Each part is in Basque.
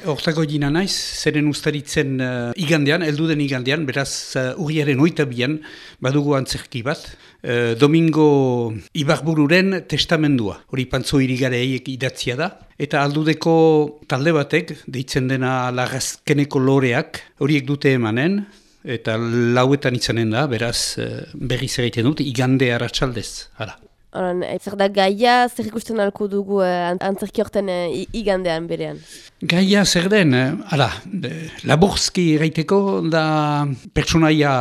Hortako gina naiz, zeren ustaritzen igandean, elduden igandean, beraz urriaren 22an badugu antzerki bat, Domingo Ibarbururen testamendua. Hori Pantzo Irigareiek idatzia da. Eta aldudeko talde batek, deitzen dena Larrazkeneko Loreak, horiek dute emanen, eta lauetan izanen da, beraz berriz egiten dut, igande arratsaldez, hala. Zer da gaia, zer ikusten alko dugu antzerki horten igandean berean? Gaia zer den, laburzki erraiteko da pertsonaia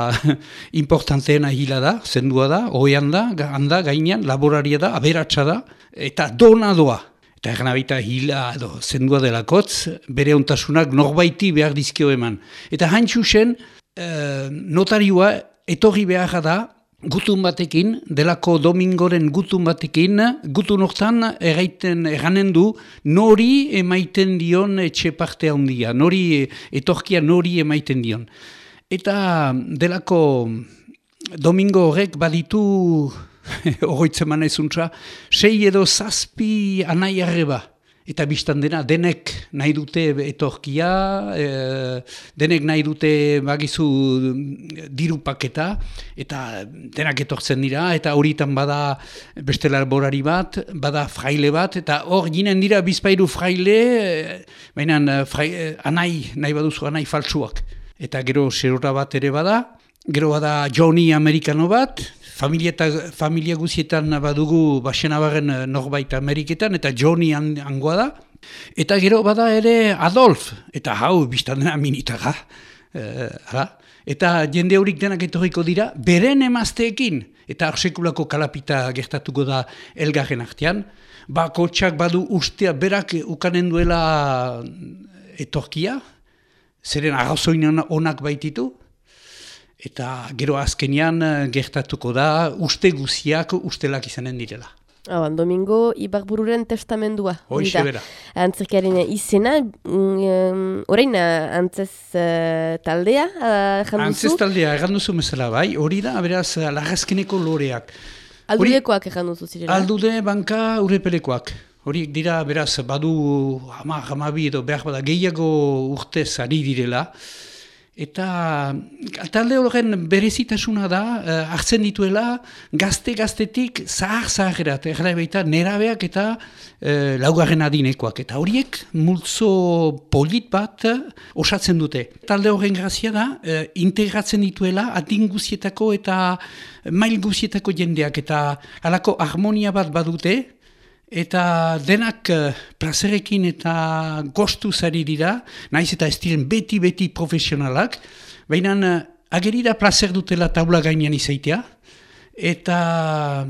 importanteena hila da, zendua da, oean da, handa, gainean, laboraria da, aberatsa da, eta dona doa. Eta egan abita hila edo zendua delakotz, bere ontasunak norbaiti behar dizkio eman. Eta haintxusen, notarioa etorri behar da, gutun batekin, delako Domingoren gutun batekin, gutun hortan erranen du, nori emaiten dion etxe parte handia, nori etorkia nori emaiten dion. Eta delako Domingo horrek baditu, horretzen manaizuntza, 6 edo 7 anai arreba. Eta biztan dena, denek nahi dute etorkia, denek nahi dute bagizu diru paketa, eta denak etortzen dira, eta horietan bada beste laborari bat, bada fraile bat, eta hor ginen dira bizpairu fraile, baina anai, nahi baduzu anai faltsuak. Eta gero serora bat ere bada, gero bada Johnny Amerikano bat, familia guzietan badugu Baxenabarren norbait Ameriketan, eta Johnny angoa da. Eta gero bada ere Adolf, eta hau biztan dena minitaga. Eta jende horik denak etorriko dira, beren emazteekin. Eta arsekulako kalapita gertatuko da elgarren artean. Bakotxak badu ustea berak ukanen duela etorkia, zeren arrazoin onak baititu. Eta gero azkenean gertatuko da uste guziak ustelak izanen direla. Domingo Ibarbururen testamendua. Hoxe bera. Antzerkiaren izena, orain antzez taldea erran duzu? Antzez taldea erran duzu mesela bai, hori da, beraz, Larrazkeneko Loreak. Aldudekoak erran duzu zirela? Aldude banka urepelekoak. Horiek dira, beraz, badu hamabi edo behar bada gehiago urtez ari direla. Eta talde horren berezitasuna da, hartzen dituela gaztetik zahar-zaharerat, baita nerabeak eta laugarren adinekoak. Eta horiek multzo polit bat osatzen dute. Talde horren grazia da, integratzen dituela adin guzietako eta mail guzietako jendeak. Eta halako harmonia bat badute, eta denak plazerekin eta gostuz ari dira, nahiz eta ez diren beti profesionalak, baina ageri da plazer dutela taula gainean izaitea, eta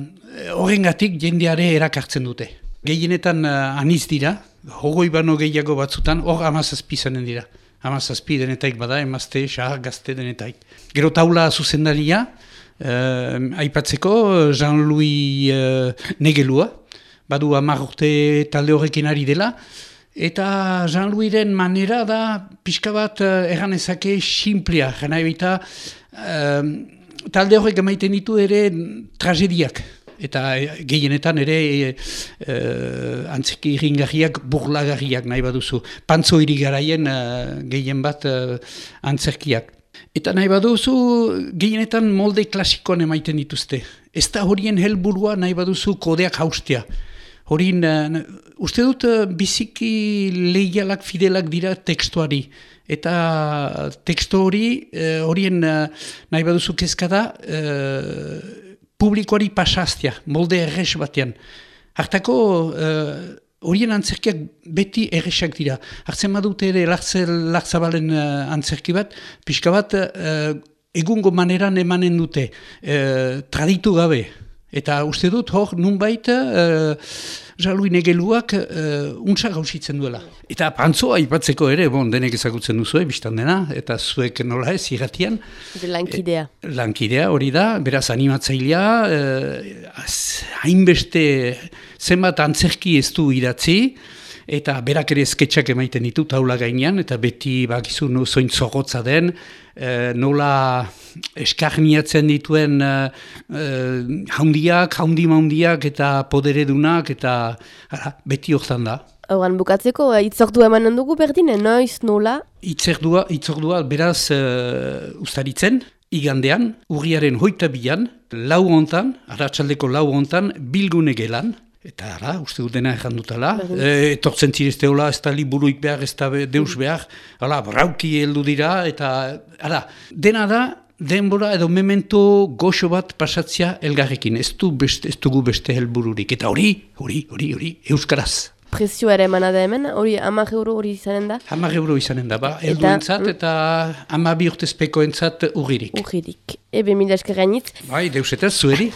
horrengatik jendeare erakartzen dute. Gehienetan aniz dira, hogoi bano gehiago batzutan, hor 17 izanen dira. 17 denetaik bada, emazte, xahar, gazte denetaik. Gero taula zuzendaria, aipatzeko Jean-Louis Negelua, badu 10 urte talde horrekin ari dela, eta Jean-Louisren manera da pixka bat erranezake simplea, jena ebita talde horrek emaiten ditu ere tragediak, eta gehienetan ere antzeki iringarriak, burlagarriak nahi baduzu, Pantzo Irigaraien gehien bat antzerkiak. Eta nahi baduzu, gehienetan molde klasikoan emaiten dituzte. Ez da horien helburua nahi baduzu kodeak haustea. Horien, uste dut biziki leialak, fidelak dira tekstuari. Eta tekstu horien nahi baduzu kezka da, publikoari pasaztea, molde errez batean. Hartako horien antzerkiak beti erresak dira. Hartzen badute ere Lartzabalen antzerki bat, pixka bat egungo maneran emanen dute, traditu gabe. Eta uste dut hor nunbait Jean-Louis Negeluak untsa gauzitzen duela. Eta Pantzoa aipatzeko ere, denek ezagutzen duzu, biztan dena, eta zuek nola ez, irratian. Lankidea. Lankidea hori da, beraz animatzailea, hainbeste zenbat antzerki ez du idatzi, eta berak ere sketxak emaiten ditu taula gainean, eta beti bakizu zoin zorrotza den, nola eskarniatzen dituen haundiak eta poderedunak, eta beti hortan da. Hauran bukatzeko, itzordua emanen dugu berdin, noiz, nola? Itzordua beraz ustaritzen, igandean, urriaren 22an, lau hontan, arratsaldeko lau hontan, bilgune gelan, eta ara, uste dutena ezan dutala, etortzen zirezte hola, ez da liburuik behar, ez da deus behar, hala, brauki heldu dira, eta ara, dena da, denbora edo memento goxo bat pasatzea elgarrekin, ez dugu beste helbururik, eta hori, euskaraz. Prezioa ere emana da hemen, hori 10 euro hori izanen da? 10 euro izanen da, helduentzat eta 12 urtezpekoentzat urririk. Urririk. Ebe, mila eskerrainitz. Bai, deus eta zueri.